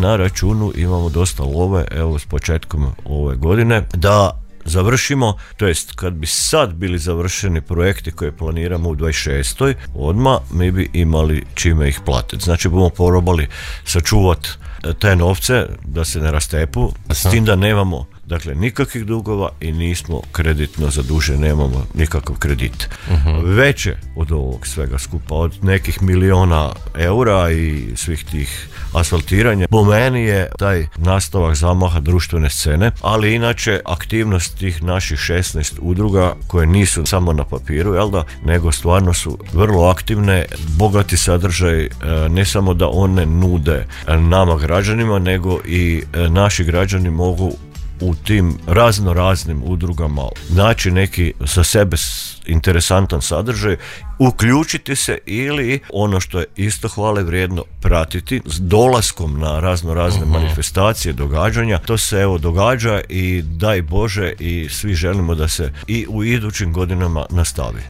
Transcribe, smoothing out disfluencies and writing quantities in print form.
na računu imamo dosta love, evo s početkom ove godine, da završimo, to jest kad bi sad bili završeni projekti koje planiramo u 26. odmah, mi bi imali čime ih platiti. Znači bomo probali sačuvati te novce da se ne rastepu, s tim da nemamo dakle nikakvih dugova i nismo kreditno zaduženi, nemamo nikakav kredit. Veće od ovog svega skupa, od nekih miliona eura i svih tih asfaltiranja, po meni je taj nastavak zamaha društvene scene, ali inače aktivnost tih naših 16 udruga koje nisu samo na papiru, jel da, nego stvarno su vrlo aktivne, bogati sadržaj, ne samo da one nude nama građanima, nego i naši građani mogu u tim raznim udrugama naći neki za sebe interesantan sadržaj, uključiti se ili ono što je isto hvale vrijedno pratiti s dolaskom na razne manifestacije, događanja. To se evo događa i daj Bože i svi želimo da se i u idućim godinama nastavi.